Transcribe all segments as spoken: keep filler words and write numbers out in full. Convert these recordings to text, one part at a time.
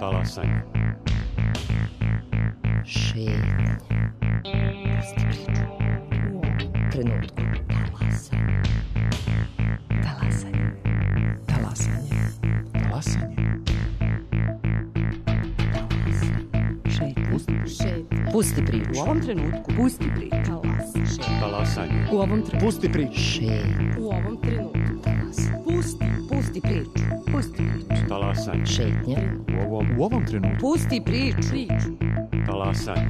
Talasanje. Šetnja. Pusti priču. U ovom trenutku. Talasanje. Talasanje. Talasanje. Talasanje. Šetnja. Šetnja. Pusti priču. U ovom trenutku. Pusti priču. Talasanje. Talasanje. U ovom trenutku. Pusti priču. Šetnja. U ovom trenutku. Talasanje. Pusti. Pusti priču. Pusti priču. Talasanje. Šetnja. U ovom, U ovom trenutku. Pusti priču. Priču. talasanje.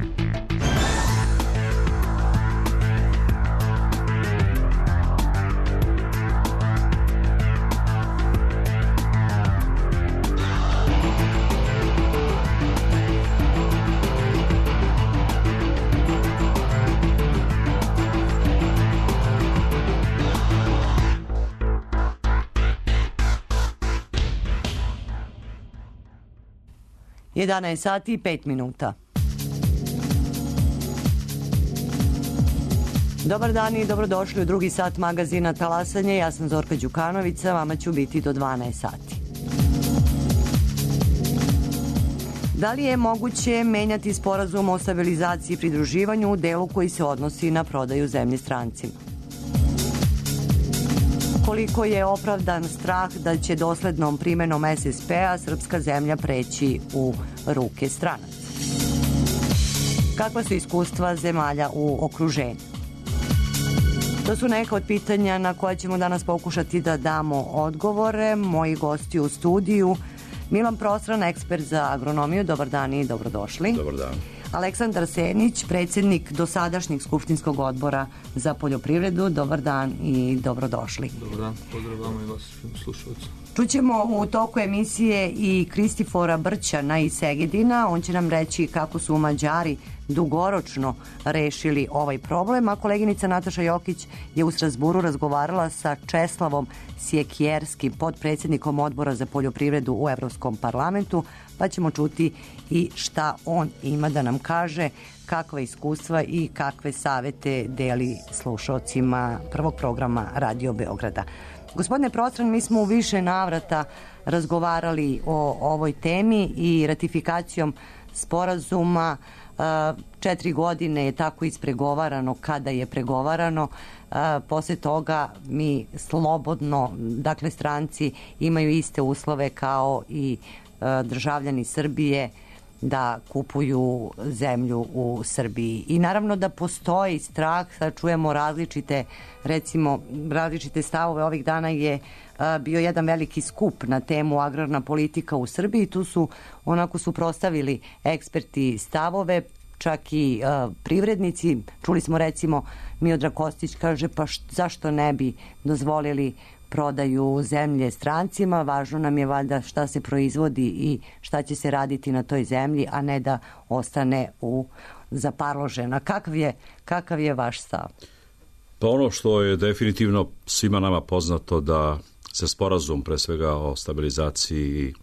jedanaest sati i pet minuta. Dobar dan i dobrodošli u drugi sat magazina Talasanje. Ja sam Zorka Đukanović, vama ću biti do dvanaest sati. Da li je moguće menjati sporazum o stabilizaciji i pridruživanju u delu koji se odnosi na prodaju zemlje strancima? Koliko je opravdan strah da će doslednom primenom es es pe-a srpska zemlja preći u ruke stranaca? Kakva su iskustva zemalja u okruženju? To su neka od pitanja na koja ćemo danas pokušati da damo odgovore. Moji gosti u studiju: Milan Prostran, ekspert za agronomiju. Dobar dan i dobrodošli. Dobar dan. Aleksandar Senić, predsjednik dosadašnjeg skupštinskog odbora za poljoprivredu. Dobar dan i dobrodošli. Dobar dan, pozdrav vama i vašim slušalcima. Čućemo u toku emisije i Kristifora Brćana iz Segedina. On će nam reći kako su Mađari dugoročno rešili ovaj problem, a koleginica Nataša Jokić je u Strazburu razgovarala sa Česlavom Sjekjerskim, podpredsjednikom odbora za poljoprivredu u Evropskom parlamentu, pa ćemo čuti i šta on ima da nam kaže, kakva iskustva i kakve savete deli slušalcima prvog programa Radio Beograda. Gospodine Prostran, mi smo u više navrata razgovarali o ovoj temi i ratifikacijom sporazuma. Četiri godine je tako ispregovarano kada je pregovarano. Posle toga mi slobodno, dakle stranci imaju iste uslove kao i državljani Srbije da kupuju zemlju u Srbiji. I naravno da postoji strah, sad čujemo različite, recimo različite stavove. Ovih dana je a, bio jedan veliki skup na temu agrarna politika u Srbiji. Tu su onako suprostavili eksperti stavove, čak i a, privrednici. Čuli smo recimo Miodrag Kostić kaže pa št, zašto ne bi dozvolili prodaju zemlje strancima, važno nam je valjda šta se proizvodi i šta će se raditi na toj zemlji, a ne da ostane u zaparložena. Kakav je, kakav je vaš stav? Pa ono što je definitivno svima nama poznato da se sporazum pre svega o stabilizaciji i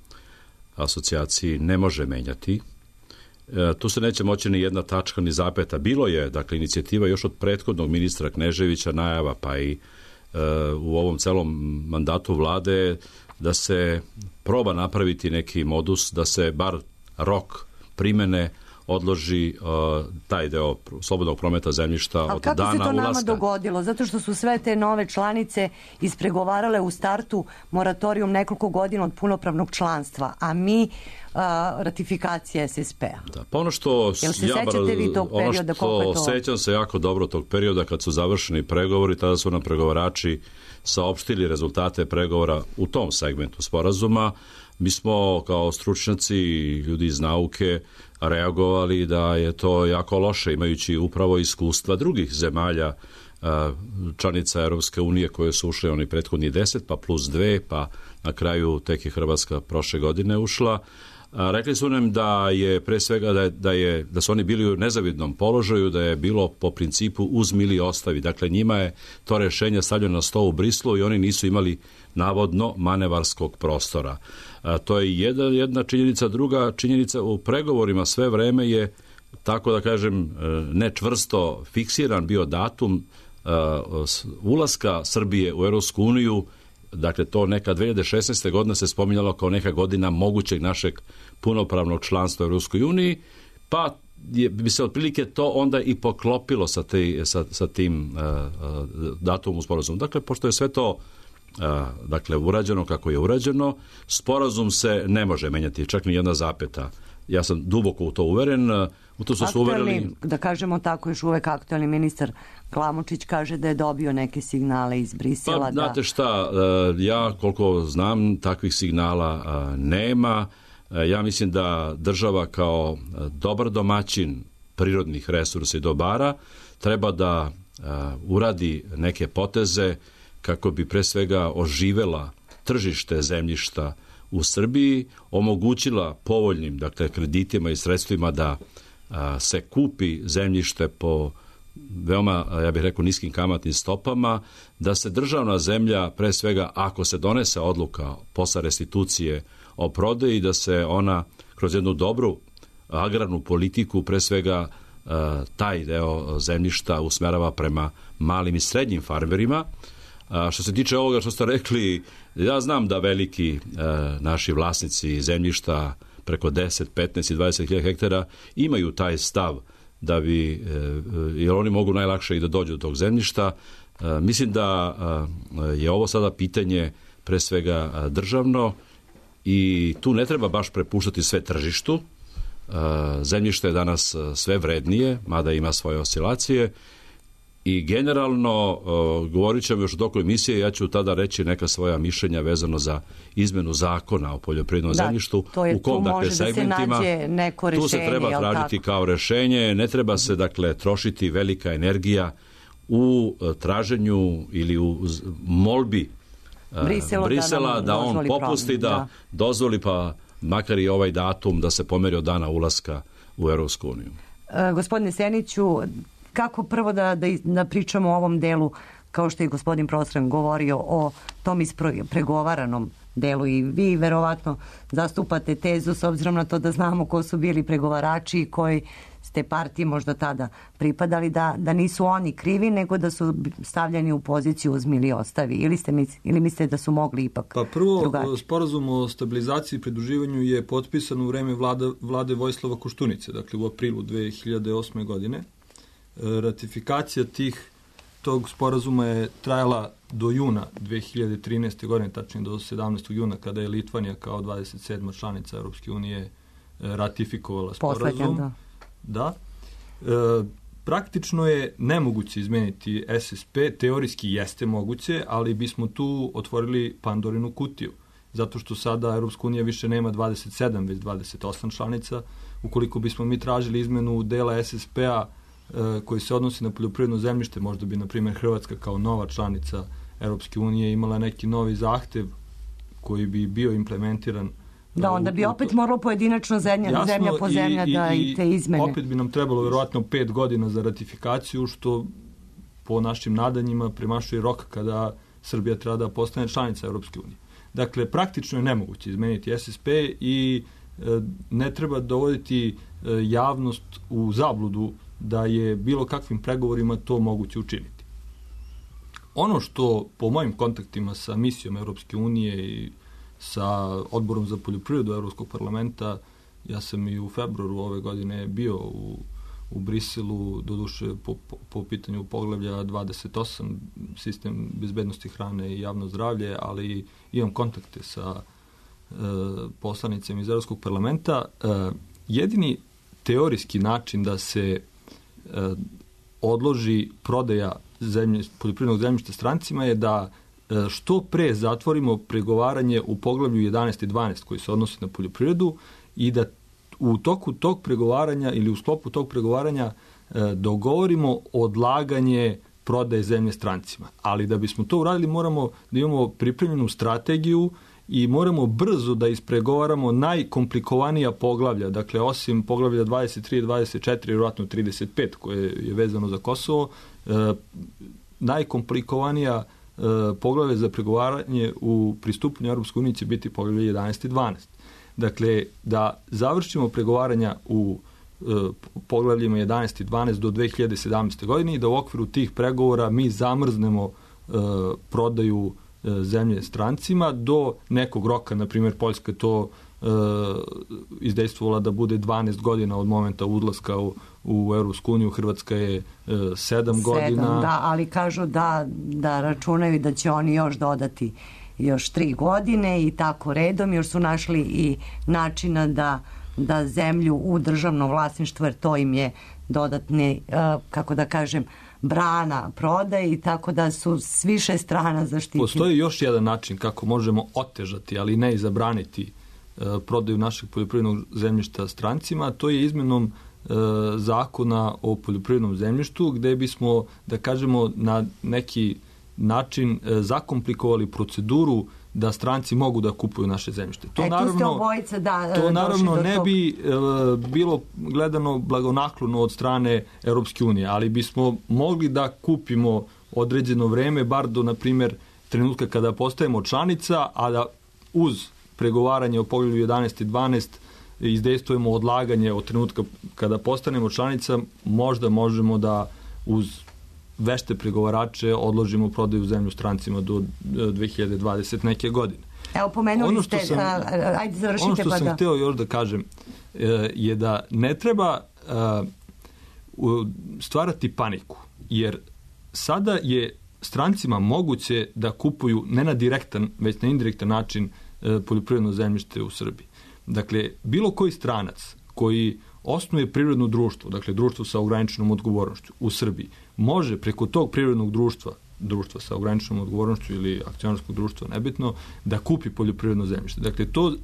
asocijaciji ne može menjati. E, tu se neće moći ni jedna tačka ni zapeta. Bilo je, dakle, inicijativa još od prethodnog ministra Kneževića, najava, pa i u ovom celom mandatu vlade da se proba napraviti neki modus, da se bar rok primene odloži uh, taj deo slobodnog prometa zemljišta od dana ulaska. Ali kako se to nama dogodilo? Zato što su sve te nove članice ispregovarale u startu moratorijum nekoliko godina od punopravnog članstva, a mi uh, ratifikacija es es pe-a. Da, pa ono što Jel se ja bar, sećate vi tog perioda? Ono što sećam se jako dobro tog perioda kad su završeni pregovori, tada su nam pregovarači saopštili rezultate pregovora u tom segmentu sporazuma. Mi smo kao stručnjaci i ljudi iz nauke reagovali da je to jako loše, imajući upravo iskustva drugih zemalja članica Europske unije koje su ušle oni prethodni deset, pa plus dve, pa na kraju tek je Hrvatska prošle godine ušla. Rekli su nam da je pre svega da, je, da, je, da su oni bili u nezavidnom položaju, da je bilo po principu uzmi ili ostavi. Dakle, njima je to rešenje stavljeno na sto u Brislu i oni nisu imali navodno manevarskog prostora. A, to je jedna, jedna činjenica. Druga činjenica, u pregovorima sve vreme je, tako da kažem, nečvrsto fiksiran bio datum uh, ulaska Srbije u Europsku uniju dakle to neka dve hiljade šesnaeste. godina se spominjalo kao neka godina mogućeg našeg punopravnog članstva u Europskoj uniji, pa je, bi se otprilike to onda i poklopilo sa, te, sa, sa tim uh, uh, datumom sporazumom. Dakle, pošto je sve to uh, dakle, urađeno kako je urađeno, sporazum se ne može menjati, čak ni jedna zapeta. Ja sam duboko u to uveren. U to su se uverili... Da kažemo tako, još uvek aktualni ministar Glamočić kaže da je dobio neke signale iz Brisela. Pa, da... znate šta, ja koliko znam, takvih signala nema. Ja mislim da država kao dobar domaćin prirodnih resursa i dobara treba da uradi neke poteze kako bi pre svega oživela tržište zemljišta u Srbiji, omogućila povoljnim, dakle, kreditima i sredstvima da a, se kupi zemljište po veoma, ja bih rekao, niskim kamatnim stopama, da se državna zemlja, pre svega, ako se donese odluka posle restitucije o prodaji, da se ona kroz jednu dobru agrarnu politiku, pre svega, a, taj deo zemljišta usmerava prema malim i srednjim farmerima. A što se tiče ovoga što ste rekli, ja znam da veliki e, naši vlasnici zemljišta preko deset, petnaest i dvadeset hiljada hektara imaju taj stav da bi, e, jer oni mogu najlakše i da dođu do tog zemljišta. E, mislim da e, je ovo sada pitanje pre svega državno i tu ne treba baš prepuštati sve tržištu. E, zemljište je danas sve vrednije, mada ima svoje oscilacije. I generalno, uh, govorit ćemo još u toku emisije, ja ću tada reći neka svoja mišljenja vezano za izmenu zakona o poljoprivrednom da, zemljištu, je, u kom, dakle, da segmentima, rešenje, tu se treba tražiti tako kao rešenje, ne treba se, dakle, trošiti velika energija u uh, traženju ili u molbi uh, Briselu, Brisela da, da on popusti, problem, da, da dozvoli pa makar i ovaj datum da se pomeri od dana ulaska u Europsku uniju. Uh, gospodine Seniću, kako prvo da, da, da pričamo o ovom delu, kao što je gospodin Prostran govorio o tom ispregovaranom delu i vi verovatno zastupate tezu s obzirom na to da znamo ko su bili pregovarači i koji ste partiji možda tada pripadali, da, da nisu oni krivi, nego da su stavljeni u poziciju uzmi ili ostavi. Ili, ste, ili mislite da su mogli ipak Pa prvo, drugačije? Sporazum o stabilizaciji i pridruživanju je potpisan u vreme vlada, vlade Vojislava Koštunice, dakle u aprilu dve hiljade osme. godine. Ratifikacija tih tog sporazuma je trajala do juna dve hiljade trinaeste. godine, tačnije do sedamnaestog juna, kada je Litvanija kao dvadeset sedma članica Europske unije ratifikovala sporazum. Poslednja, da. Da. E, praktično je nemoguće izmeniti S S P, teorijski jeste moguće, ali bismo tu otvorili Pandorinu kutiju, zato što sada Europska unija više nema dvadeset sedam, već dvadeset osam članica. Ukoliko bismo mi tražili izmenu dela S S P-a koji se odnosi na poljoprivredno zemljište, možda bi, na primjer, Hrvatska kao nova članica Europske unije imala neki novi zahtev koji bi bio implementiran. Da, onda bi opet moralo pojedinačno zemlja, Jasno, zemlja po zemlja i, da i, i te izmene. Opet bi nam trebalo verovatno pet godina za ratifikaciju, što po našim nadanjima premašuje rok kada Srbija treba da postane članica Europske unije. Dakle, praktično je nemoguće izmeniti S S P i e, ne treba dovoditi e, javnost u zabludu da je bilo kakvim pregovorima to moguće učiniti. Ono što po mojim kontaktima sa misijom Europske unije i sa odborom za poljoprivredu Europskog parlamenta, ja sam i u februaru ove godine bio u, u Briselu, doduše po, po, po pitanju poglavlja dvadeset osam, sistem bezbednosti hrane i javno zdravlje, ali imam kontakte sa e, poslanicima iz Europskog parlamenta. E, jedini teorijski način da se odloži prodaja zemlje, poljoprivrednog zemljišta strancima je da što pre zatvorimo pregovaranje u poglavlju jedanaest i dvanaest koji se odnosi na poljoprivredu i da u toku tog pregovaranja ili u sklopu tog pregovaranja dogovorimo odlaganje prodaje zemlje strancima. Ali da bismo to uradili moramo da imamo pripremljenu strategiju i moramo brzo da ispregovaramo najkomplikovanija poglavlja, dakle osim poglavlja dvadeset tri i dvadeset četiri, vjerojatno trideset pet koje je vezano za Kosovo, e, najkomplikovanija e, poglavlja za pregovaranje u pristupanju Europskoj uniji će biti poglavlja jedanaest i dvanaest. Dakle, da završimo pregovaranja u e, poglavljima jedanaest i dvanaest do dve hiljade sedamnaeste. godine i da u okviru tih pregovora mi zamrznemo e, prodaju zemlje strancima do nekog roka, na primjer Poljska to e, izdejstvovala da bude dvanaest godina od momenta odlaska u, u Evropsku uniju, Hrvatska je e, sedam godina. Da, ali kažu da, da računaju da će oni još dodati još tri godine i tako redom, još su našli i načina da, da zemlju u državno vlasništvo, jer to im je dodatni, uh, kako da kažem, brana prodaje i tako da su s više strana zaštitili. Postoji još jedan način kako možemo otežati, ali ne i zabraniti uh, prodaju našeg poljoprivrednog zemljišta strancima, to je izmenom uh, zakona o poljoprivrednom zemljištu, gde bismo, da kažemo, na neki način zakomplikovali proceduru da stranci mogu da kupuju naše zemljište. To e, naravno, obojica, da, to naravno ne tog... bi e, bilo gledano blagonaklono od strane Europske unije, ali bismo mogli da kupimo određeno vreme, bar do, na primjer, trenutka kada postajemo članica, a da uz pregovaranje o poglavlju jedanaest i dvanaest izdejstvujemo odlaganje od trenutka kada postanemo članica, možda možemo da uz vešte pregovarače odložimo prodaju zemlju strancima do dve hiljade dvadesete neke godine. Evo, pomenuli ono ste, sam, a, ajde završite ono što pa sam da. hteo još da kažem je da ne treba stvarati paniku, jer sada je strancima moguće da kupuju ne na direktan, već na indirektan način poljoprivredno zemljište u Srbiji. Dakle, bilo koji stranac koji osnuje privredno društvo, dakle društvo sa ograničenom odgovornošću u Srbiji, može preko tog privrednog društva, društva sa ograničenom odgovornošću ili akcionarskog društva, nebitno, da kupi poljoprivredno zemljište. Dakle, to e,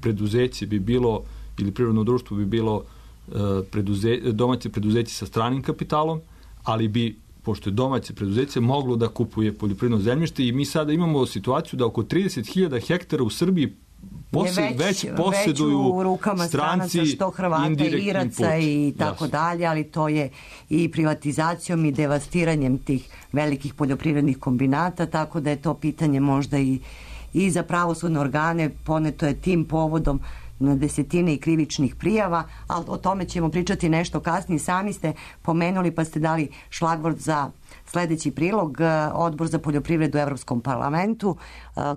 preduzeće bi bilo, ili privredno društvo bi bilo e, preduze, domaće preduzeće sa stranim kapitalom, ali bi, pošto je domaće preduzeće, moglo da kupuje poljoprivredno zemljište i mi sada imamo situaciju da oko trideset hiljada hektara u Srbiji Posle, već, već posjeduju u rukama stranci, što Hrvata, Iraca i tako Jasne. dalje, ali to je i privatizacijom i devastiranjem tih velikih poljoprivrednih kombinata, tako da je to pitanje možda i, i za pravosudne organe, poneto je tim povodom na desetine i krivičnih prijava, ali o tome ćemo pričati nešto kasnije. Sami ste pomenuli pa ste dali šlagvort za sledeći prilog, Odbor za poljoprivredu u Evropskom parlamentu.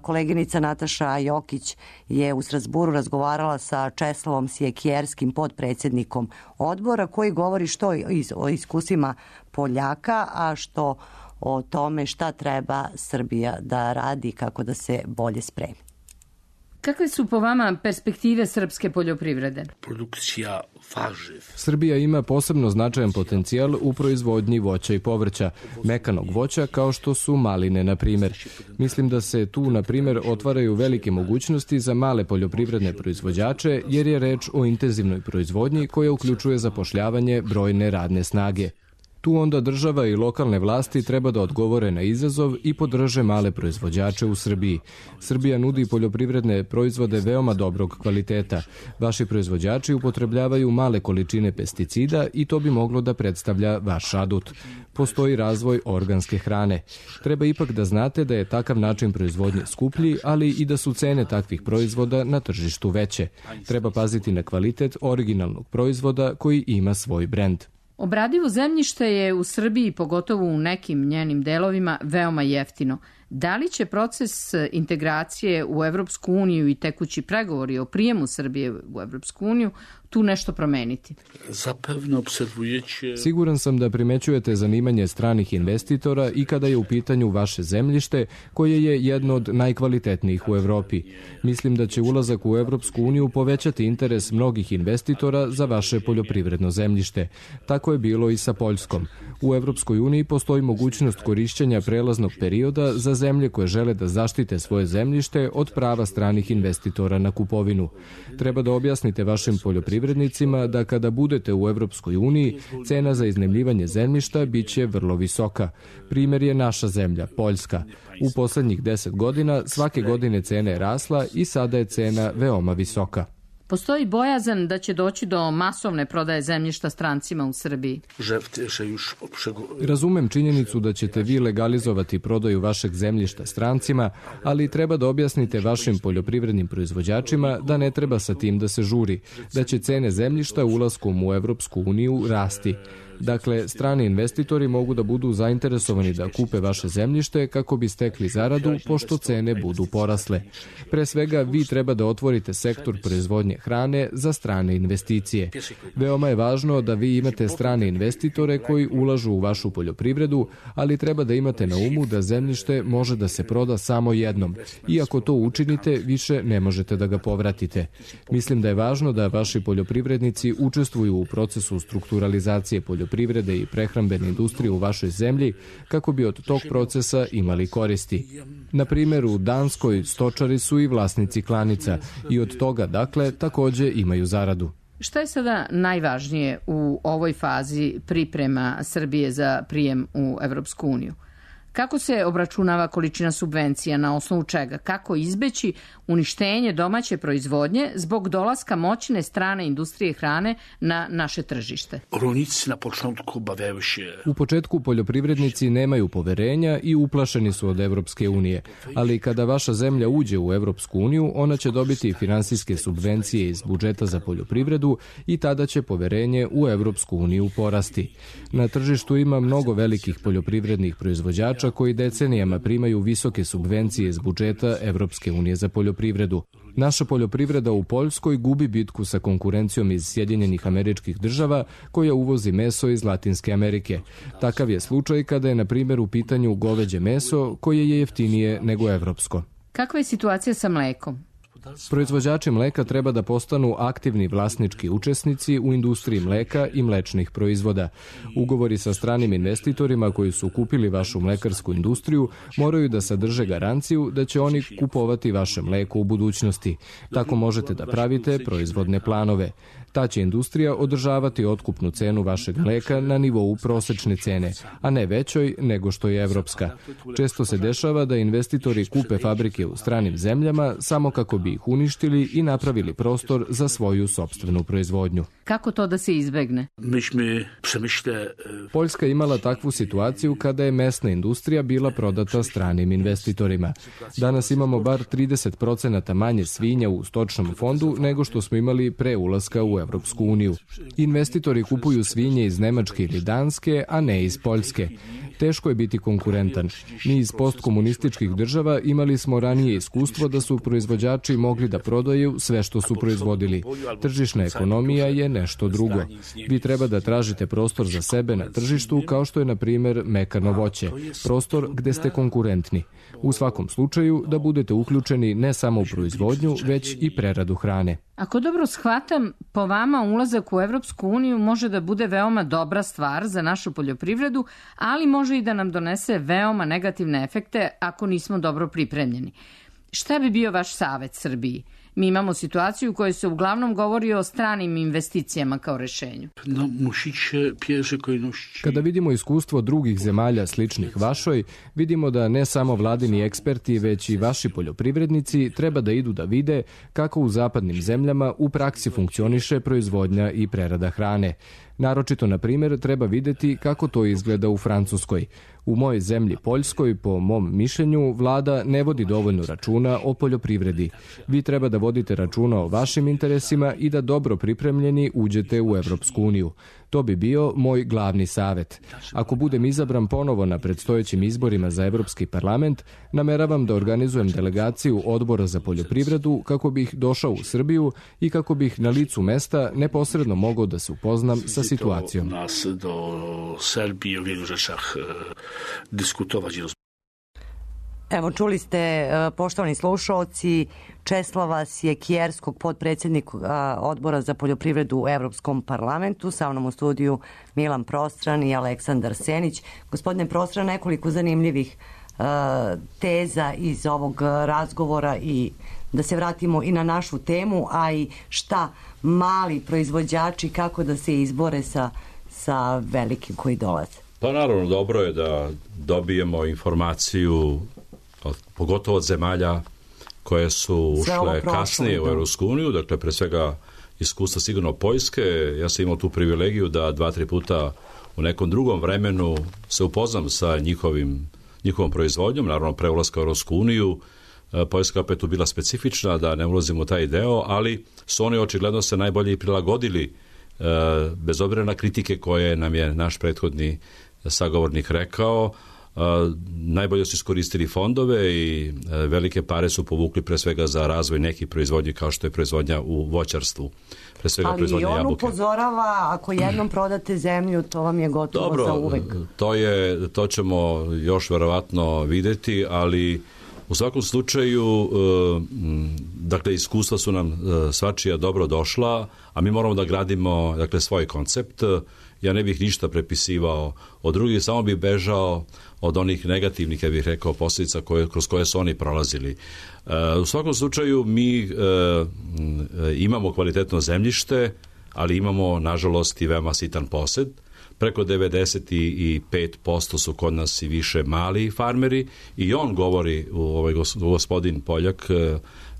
Koleginica Nataša Jokić je u Strasburu razgovarala sa Česlavom Sjekjerskim, podpredsjednikom odbora, koji govori što o iskusima Poljaka, a što o tome šta treba Srbija da radi kako da se bolje spremi. Kakve su po vama perspektive srpske poljoprivrede? Produkcija varživ. Srbija ima posebno značajan potencijal u proizvodnji voća i povrća, mekanog voća kao što su maline, na primjer. Mislim da se tu, na primjer, otvaraju velike mogućnosti za male poljoprivredne proizvođače, jer je reč o intenzivnoj proizvodnji koja uključuje zapošljavanje brojne radne snage. Tu onda država i lokalne vlasti treba da odgovore na izazov i podrže male proizvođače u Srbiji. Srbija nudi poljoprivredne proizvode veoma dobrog kvaliteta. Vaši proizvođači upotrebljavaju male količine pesticida i to bi moglo da predstavlja vaš adut. Postoji razvoj organske hrane. Treba ipak da znate da je takav način proizvodnje skuplji, ali i da su cene takvih proizvoda na tržištu veće. Treba paziti na kvalitet originalnog proizvoda koji ima svoj brend. Obradivo zemljište je u Srbiji, pogotovo u nekim njenim delovima, veoma jeftino. Da li će proces integracije u Evropsku uniju i tekući pregovori o prijemu Srbije u Evropsku uniju tu nešto promeniti? Zapevno observujete... Siguran sam da primećujete zanimanje stranih investitora i kada je u pitanju vaše zemljište, koje je jedno od najkvalitetnijih u Evropi. Mislim da će ulazak u Evropsku uniju povećati interes mnogih investitora za vaše poljoprivredno zemljište. Tako je bilo i sa Poljskom. U Evropskoj uniji postoji mogućnost korišćenja prelaznog perioda za zemlje koje žele da zaštite svoje zemljište od prava stranih investitora na kupovinu. Treba da objasnite vašim poljoprivrednicima da kada budete u Evropskoj uniji, cena za iznajmljivanje zemljišta biće vrlo visoka. Primer je naša zemlja, Poljska. U poslednjih deset godina svake godine cena je rasla i sada je cena veoma visoka. Postoji bojazan da će doći do masovne prodaje zemljišta strancima u Srbiji. Razumem činjenicu da ćete vi legalizovati prodaju vašeg zemljišta strancima, ali treba da objasnite vašim poljoprivrednim proizvođačima da ne treba sa tim da se žuri, da će cene zemljišta ulaskom u Evropsku uniju rasti. Dakle, strani investitori mogu da budu zainteresovani da kupe vaše zemljište kako bi stekli zaradu, pošto cene budu porasle. Pre svega, vi treba da otvorite sektor proizvodnje hrane za strane investicije. Veoma je važno da vi imate strane investitore koji ulažu u vašu poljoprivredu, ali treba da imate na umu da zemljište može da se proda samo jednom. I ako to učinite, više ne možete da ga povratite. Mislim da je važno da vaši poljoprivrednici učestvuju u procesu strukturalizacije poljoprivrede i prehrambene industrije u vašoj zemlji kako bi od tog procesa imali koristi. Na primjer, u Danskoj stočari su i vlasnici klanica i od toga, dakle, takođe imaju zaradu. Šta je sada najvažnije u ovoj fazi priprema Srbije za prijem u Evropsku uniju? Kako se obračunava količina subvencija, na osnovu čega? Kako izbeći uništenje domaće proizvodnje zbog dolaska moćne strane industrije hrane na naše tržište? Rolnici na početku bavaju se... U početku poljoprivrednici nemaju poverenja i uplašeni su od Evropske unije, ali kada vaša zemlja uđe u Evropsku uniju, ona će dobiti finansijske subvencije iz budžeta za poljoprivredu i tada će poverenje u Evropsku uniju porasti. Na tržištu ima mnogo velikih poljoprivrednih proizvođača koji decenijama primaju visoke subvencije iz budžeta Evropske unije za poljoprivredu. Naša poljoprivreda u Poljskoj gubi bitku sa konkurencijom iz Sjedinjenih Američkih Država koja uvozi meso iz Latinske Amerike. Takav je slučaj kada je, na primjer, u pitanju goveđe meso koje je jeftinije nego evropsko. Kakva je situacija sa mlekom? Proizvođači mleka treba da postanu aktivni vlasnički učesnici u industriji mleka i mlečnih proizvoda. Ugovori sa stranim investitorima koji su kupili vašu mlekarsku industriju moraju da sadrže garanciju da će oni kupovati vaše mleko u budućnosti. Tako možete da pravite proizvodne planove. Ta će industrija održavati otkupnu cenu vašeg mleka na nivou prosečne cene, a ne većoj nego što je evropska. Često se dešava da investitori kupe fabrike u stranim zemljama samo kako bi ih uništili i napravili prostor za svoju sopstvenu proizvodnju. Kako to da se izbegne? Poljska imala takvu situaciju kada je mesna industrija bila prodata stranim investitorima. Danas imamo bar trideset procenata manje svinja u stočnom fondu nego što smo imali pre ulaska u Evropsku uniju. Investitori kupuju svinje iz Nemačke ili Danske, a ne iz Poljske. Teško je biti konkurentan. Mi iz postkomunističkih država imali smo ranije iskustvo da su proizvođači mogli da prodaju sve što su proizvodili. Tržišna ekonomija je nešto drugo. Vi treba da tražite prostor za sebe na tržištu kao što je, na primjer, mekano voće. Prostor gde ste konkurentni. U svakom slučaju da budete uključeni ne samo u proizvodnju, već i preradu hrane. Ako dobro shvatam, po vama ulazak u Evropsku uniju može da bude veoma dobra stvar za našu poljoprivredu, ali može i da nam donese veoma negativne efekte ako nismo dobro pripremljeni. Šta bi bio vaš savet Srbiji? Mi imamo situaciju u kojoj se uglavnom govori o stranim investicijama kao rešenju. Kada vidimo iskustvo drugih zemalja sličnih vašoj, vidimo da ne samo vladini eksperti, već i vaši poljoprivrednici treba da idu da vide kako u zapadnim zemljama u praksi funkcioniše proizvodnja i prerada hrane. Naročito, na primjer, treba videti kako to izgleda u Francuskoj. U mojoj zemlji Poljskoj, po mom mišljenju, vlada ne vodi dovoljno računa o poljoprivredi. Vi treba da vodite računa o vašim interesima i da dobro pripremljeni uđete u Evropsku uniju. To bi bio moj glavni savet. Ako budem izabran ponovo na predstojećim izborima za Evropski parlament, nameravam da organizujem delegaciju Odbora za poljoprivredu kako bih došao u Srbiju i kako bih na licu mesta neposredno mogao da se upoznam sa situacijom. Nas do Srbije u vidu rzeczach diskutovati. Evo, čuli ste, poštovani slušalci, Česlava Sjekjerskog, potpredsjednika Odbora za poljoprivredu u Evropskom parlamentu, sa mnom u studiju Milan Prostran i Aleksandar Senić. Gospodine Prostran, nekoliko zanimljivih uh, teza iz ovog razgovora i da se vratimo i na našu temu, a i šta mali proizvođači, kako da se izbore sa, sa velikim koji dolaze. Pa naravno, dobro je da dobijemo informaciju, pogotovo od zemalja koje su ušle kasnije u Evropsku uniju, dakle pre svega iskustva sigurno Poljske. Ja sam imao tu privilegiju da dva, tri puta u nekom drugom vremenu se upoznam sa njihovim, njihovom proizvodnjom, naravno pre ulaska u Evropsku uniju. Poljska opet tu bila specifična, da ne ulazimo u taj deo, ali su oni očigledno se najbolje i prilagodili bez obzira na kritike koje nam je naš prethodni sagovornik rekao, najbolje su iskoristili fondove i velike pare su povukli pre svega za razvoj nekih proizvodnji kao što je proizvodnja u voćarstvu. Pre svega ali proizvodnja on jabuke. upozorava, ako jednom prodate zemlju, to vam je gotovo Dobro, za uvek. To, je, to ćemo još verovatno videti, ali u svakom slučaju, dakle, iskustva su nam svačija dobro došla, a mi moramo da gradimo, dakle, svoj koncept. Ja ne bih ništa prepisivao od drugih, samo bih bežao od onih negativnih, ja bih rekao, posljedica koje, kroz koje su oni prolazili. U svakom slučaju, mi imamo kvalitetno zemljište, ali imamo, nažalost, i veoma sitan posed. Preko devedeset pet posto su kod nas i više mali farmeri i on govori, ovaj gospodin Poljak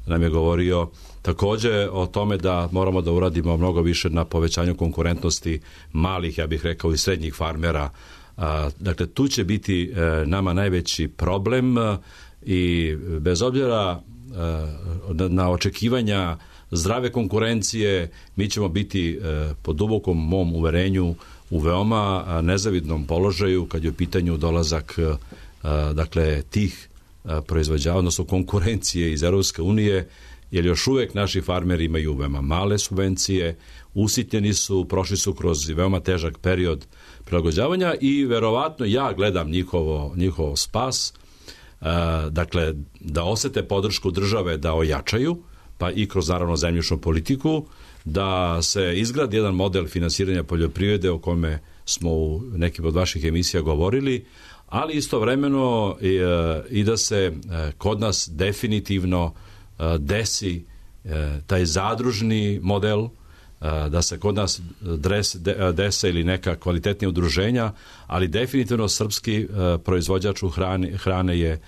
nam je govorio takođe o tome da moramo da uradimo mnogo više na povećanju konkurentnosti malih, ja bih rekao, i srednjih farmera. Dakle, tu će biti nama najveći problem i bez obzira na očekivanja zdrave konkurencije, mi ćemo biti po dubokom mom uverenju u veoma nezavidnom položaju kad je u pitanju dolazak dakle tih proizvođača, odnosno konkurencije iz Europske unije, jer još uvek naši farmeri imaju veoma male subvencije, usitnjeni su, prošli su kroz veoma težak period prilagođavanja i verovatno ja gledam njihovo, njihov spas, dakle da osete podršku države da ojačaju, pa i kroz naravno zemljišnu politiku, da se izgradi jedan model finansiranja poljoprivrede o kome smo u nekim od vaših emisija govorili, ali istovremeno i, i da se kod nas definitivno desi taj zadružni model, da se kod nas dres, dese ili neka kvalitetnija udruženja, ali definitivno srpski proizvođač u hrane, hrane je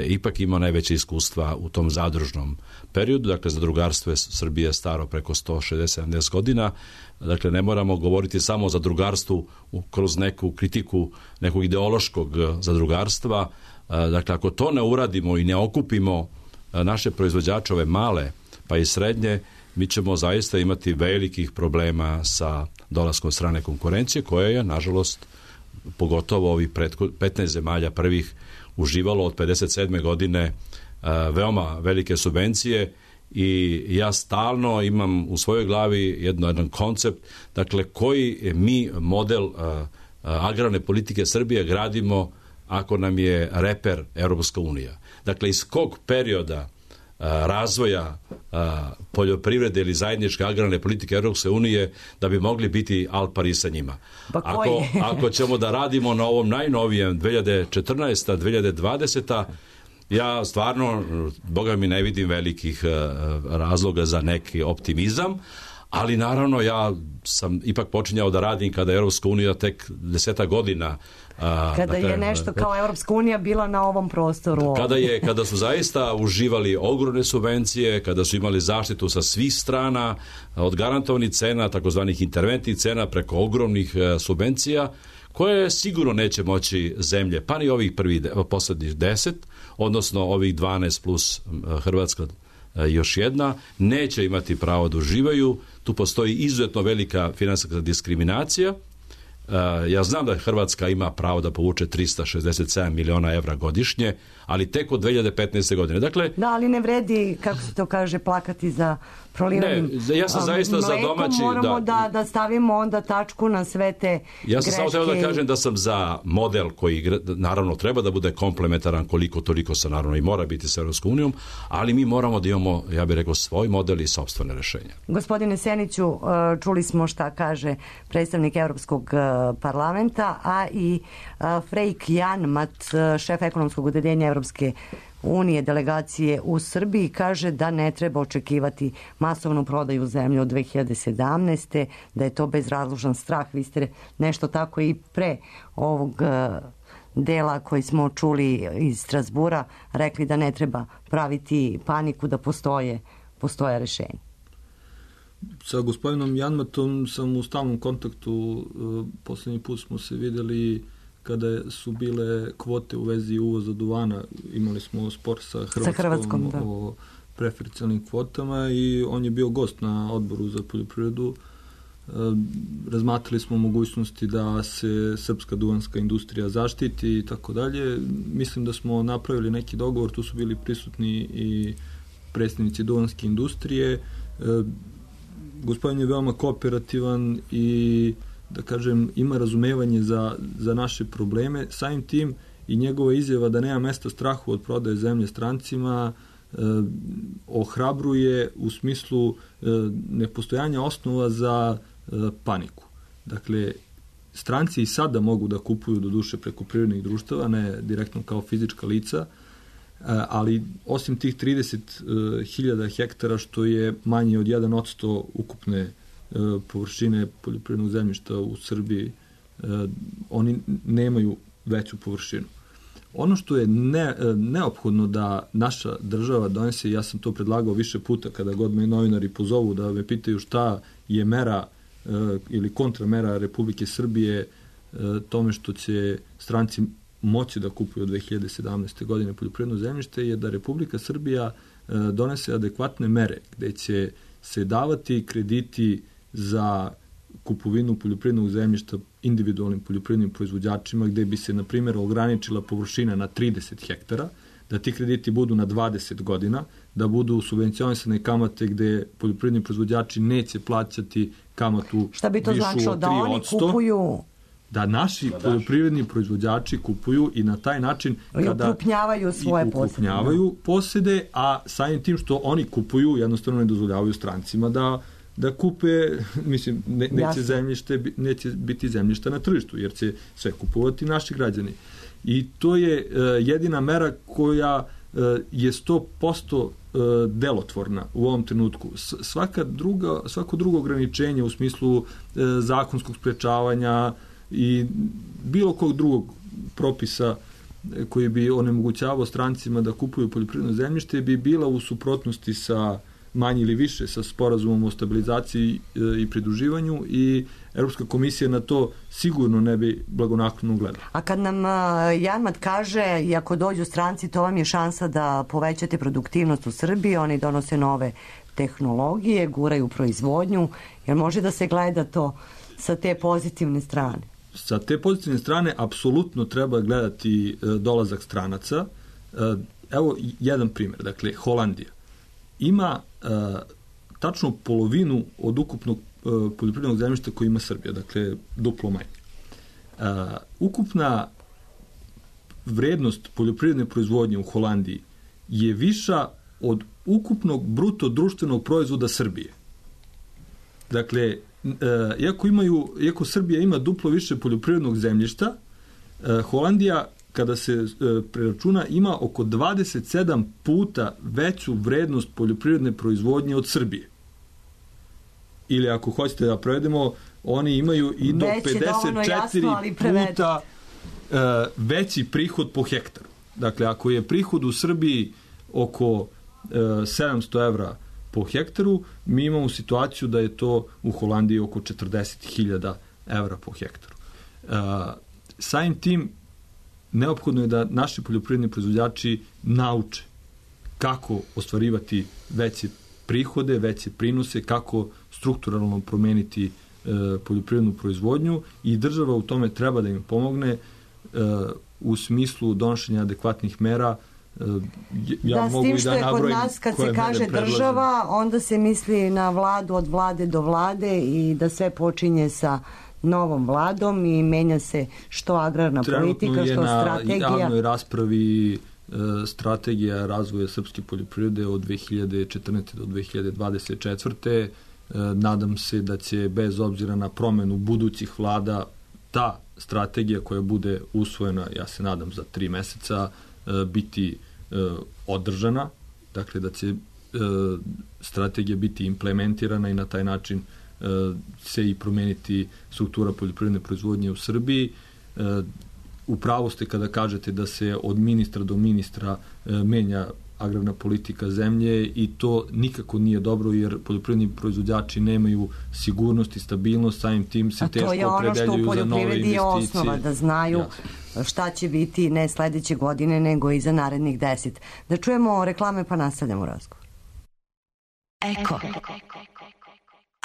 ipak imao najveće iskustva u tom zadružnom periodu. Dakle, zadrugarstvo je Srbije staro preko sto šezdeset sedamdeset godina. Dakle, ne moramo govoriti samo o zadrugarstvu kroz neku kritiku nekog ideološkog zadrugarstva. Dakle, ako to ne uradimo i ne okupimo naše proizvođače, ove male pa i srednje, mi ćemo zaista imati velikih problema sa dolaskom strane konkurencije, koja je, nažalost, pogotovo ovih petnaest zemalja prvih uživalo od pedeset sedme godine veoma velike subvencije i ja stalno imam u svojoj glavi jedno, jedan koncept, dakle, koji mi model agrarne politike Srbije gradimo ako nam je reper Europska unija. Dakle, iz kog perioda razvoja poljoprivrede ili zajedničke agrarne politike Europske unije da bi mogli biti al pari sa njima. Ako, ako ćemo da radimo na ovom najnovijem dve hiljade četrnaesta dve hiljade dvadeseta ja stvarno, boga mi, ne vidim velikih razloga za neki optimizam, ali naravno ja sam ipak počinjao da radim kada je Europska unija tek deseta godina A, kada dakle, je nešto kao Europska unija bila na ovom prostoru. Kada, je, kada su zaista uživali ogromne subvencije, kada su imali zaštitu sa svih strana, od garantovanih cena, takozvanih interventnih cena, preko ogromnih subvencija, koje sigurno neće moći zemlje, pa ni ovih prvih poslednjih deset, odnosno ovih dvanaest plus Hrvatska još jedna, neće imati pravo da uživaju. Tu postoji izuzetno velika finansijska diskriminacija. Ja znam da Hrvatska ima pravo da povuče trista šezdeset sedam miliona evra godišnje, ali tek od dve hiljade petnaeste godine. Dakle, da, ali ne vredi, kako se to kaže, plakati za prolivenim ne, ja sam zaista mlekom, za domaći, moramo da, da, da stavimo onda tačku na sve te ja sam greške. samo teo da kažem da sam za model koji naravno treba da bude komplementaran koliko toliko sa naravno i mora biti sa Europskom unijom, ali mi moramo da imamo, ja bih rekao, svoj model i sopstvene rešenja. Gospodine Seniću, čuli smo šta kaže predstavnik Evropskog parlamenta, a i Freik Janmat, šef ekonomskog odeljenja Evropske unije delegacije u Srbiji, kaže da ne treba očekivati masovnu prodaju zemlje od dve hiljade sedamnaeste. da je to bezrazložan strah. Vi ste nešto tako i pre ovog dela koji smo čuli iz Strasbura rekli da ne treba praviti paniku, da postoje, postoje rešenje. Sa gospodinom Janmatom sam u stalnom kontaktu. Poslednji put smo se videli kada su bile kvote u vezi uvoza duvana. Imali smo spor sa Hrvatskom, sa Hrvatskom o preferencijalnim kvotama i on je bio gost na odboru za poljoprivredu. razmatrali smo mogućnosti da se srpska duvanska industrija zaštiti i tako dalje. Mislim da smo napravili neki dogovor, tu su bili prisutni i predstavnici duvanske industrije. Gospodin je veoma kooperativan i, da kažem, ima razumevanje za, za naše probleme. Samim tim i njegova izjava da nema mesta strahu od prodaje zemlje strancima eh, ohrabruje u smislu eh, nepostojanja osnova za eh, paniku. Dakle, stranci i sada mogu da kupuju do duše preko privrednih društava, ne direktno kao fizička lica, ali osim tih trideset hiljada hektara, što je manje od jedan odsto ukupne površine poljoprivrednog zemljišta u Srbiji, oni nemaju veću površinu. Ono što je ne, neophodno da naša država donese, ja sam to predlagao više puta kada god me novinari pozovu da me pitaju šta je mera ili kontramera Republike Srbije tome što će stranci moći da kupuju od dve hiljade sedamnaeste. godine poljoprivredno zemljište, je da Republika Srbija donese adekvatne mere gde će se davati krediti za kupovinu poljoprivrednog zemljišta individualnim poljoprivrednim proizvođačima, gde bi se, na primjer, ograničila površina na trideset hektara, da ti krediti budu na dvadeset godina, da budu subvencionisane kamate gde poljoprivredni proizvođači neće plaćati kamatu šta bi to višu značilo, od da tri oni odsto. kupuju Da naši poljoprivredni proizvođači kupuju i na taj način kada ukrupnjavaju svoje posede. Ukrupnjavaju posede, a samim tim što oni kupuju, jednostavno ne dozvoljavaju strancima da da kupe, mislim, ne, neće, zemljište, neće biti zemljišta na tržištu, jer će sve kupovati naši građani. I to je uh, jedina mera koja uh, je sto posto uh, delotvorna u ovom trenutku. S, svaka druga, svako drugo ograničenje u smislu uh, zakonskog sprečavanja i bilo kog drugog propisa koji bi onemogućavao strancima da kupuju poljoprivredno zemljište bi bila u suprotnosti sa manje ili više sa sporazumom o stabilizaciji i pridruživanju i Europska komisija na to sigurno ne bi blagonaklono gledala. A kad nam Janmat kaže i ako dođu stranci, to vam je šansa da povećate produktivnost u Srbiji, oni donose nove tehnologije, guraju proizvodnju, jer može da se gleda to sa te pozitivne strane? Sa te pozitivne strane apsolutno treba gledati dolazak stranaca. Evo jedan primjer, dakle Holandija ima uh, tačno polovinu od ukupnog uh, poljoprivrednog zemljišta koji ima Srbija, dakle duplo manje. Uh, ukupna vrednost poljoprivredne proizvodnje u Holandiji je viša od ukupnog bruto društvenog proizvoda Srbije. Dakle, uh, iako, imaju, iako Srbija ima duplo više poljoprivrednog zemljišta, uh, Holandija kada se e, preračuna, ima oko dvadeset sedam puta veću vrednost poljoprivredne proizvodnje od Srbije. Ili ako hoćete da prevedemo, oni imaju i do Već pedeset četiri jasno, puta e, veći prihod po hektaru. Dakle, ako je prihod u Srbiji oko e, sedamsto evra po hektaru, mi imamo situaciju da je to u Holandiji oko četrdeset hiljada evra po hektaru. E, samim tim, neophodno je da naši poljoprivredni proizvođači nauče kako ostvarivati veće prihode, veće prinose, kako strukturalno promeniti e, poljoprivrednu proizvodnju i država u tome treba da im pomogne e, u smislu donošenja adekvatnih mera. E, ja da, mogu s tim što i da je kod nas kad se kaže država, onda se misli na vladu od vlade do vlade i da sve počinje sa novom vladom i menja se što agrarna politika, što strategija. Trenutno je na javnoj raspravi e, strategija razvoja srpske poljoprivrede od dve hiljade četrnaeste do dve hiljade dvadeset četvrte. E, nadam se da će bez obzira na promenu budućih vlada ta strategija koja bude usvojena, ja se nadam za tri meseca, e, biti e, održana, dakle da će e, strategija biti implementirana i na taj način se i promeniti struktura poljoprivredne proizvodnje u Srbiji. U pravu ste kada kažete da se od ministra do ministra menja agrarna politika zemlje i to nikako nije dobro jer poljoprivredni proizvođači nemaju sigurnost i stabilnost, samim tim se teško opredeljuju za nove investicije. A to je ono što u poljoprivredi je osnova, da znaju ja. šta će biti ne sledeće godine nego i za narednih deset. Da čujemo reklame pa nastavljamo razgovor. Eko.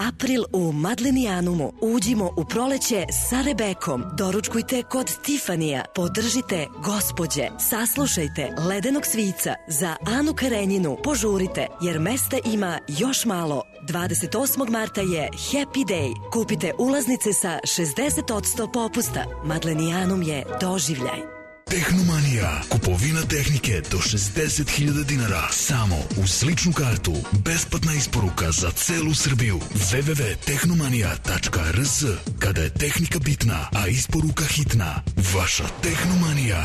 April u Madlenijanumu. Uđimo u proleće sa Rebekom. Doručkujte kod Tifanija. Podržite gospođe. Saslušajte Ledenog svica. Za Anu Karenjinu požurite jer mesta ima još malo. dvadeset osmog marta je Happy Day. Kupite ulaznice sa šezdeset posto popusta. Madlenijanum je doživljaj. Tehnomanija. Kupovina tehnike do šezdeset hiljada dinara. Samo uz ličnu kartu. Besplatna isporuka za celu Srbiju. w w w tačka tehnomanija tačka r s. Kada je tehnika bitna, a isporuka hitna. Vaša Tehnomanija.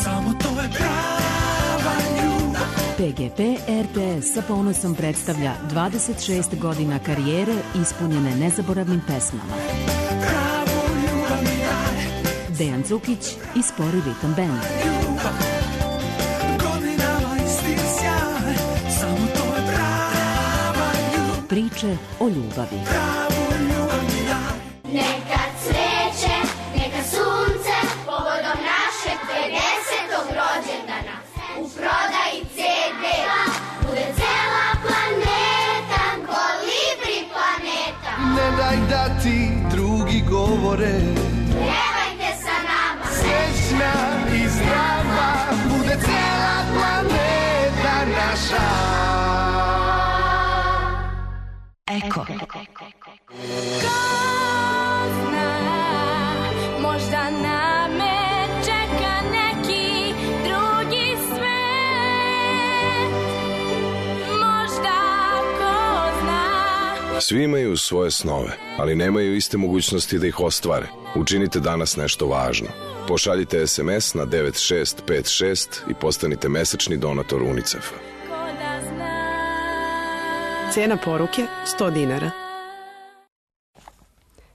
Samo to je prava ljubav. P G P R T S sa ponosom predstavlja dvadeset šest godina karijere ispunjene nezaboravnim pesmama. Dejan Cukić i Spori ritam band. Priče o ljubavi. Neka cveće, neka sunce, povodom našeg pedesetog rođendana. U prodaji C D bude cela planeta, kolibri planeta. Ne daj da ti drugi govore, srećna i zdrava bude cela planeta naša. Eko. Ko zna, možda na me čeka neki drugi svet. Možda ko zna. Svi imaju svoje snove, ali nemaju iste mogućnosti da ih ostvare. Učinite danas nešto važno. Pošaljite es em es na devet šest pet šest i postanite mesečni donator UNICEF-a. Cena poruke sto dinara.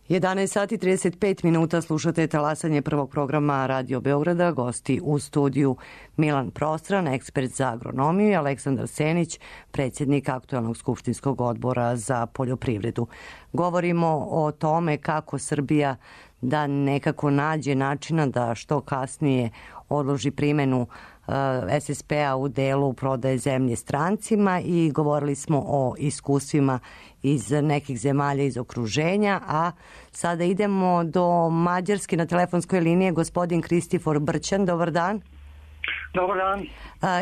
jedanaest sati trideset pet minuta, slušate talasanje prvog programa Radio Beograda. Gosti u studiju Milan Prostran, ekspert za agronomiju, i Aleksandar Senić, predsjednik aktuelnog skupštinskog odbora za poljoprivredu. Govorimo o tome kako Srbija da nekako nađe načina da što kasnije odloži primenu es es pe-a u delu prodaje zemlje strancima i govorili smo o iskustvima iz nekih zemalja iz okruženja, a sada idemo do Mađarske. Na telefonskoj liniji je gospodin Kristifor Brćan. Dobar dan. Dobar dan.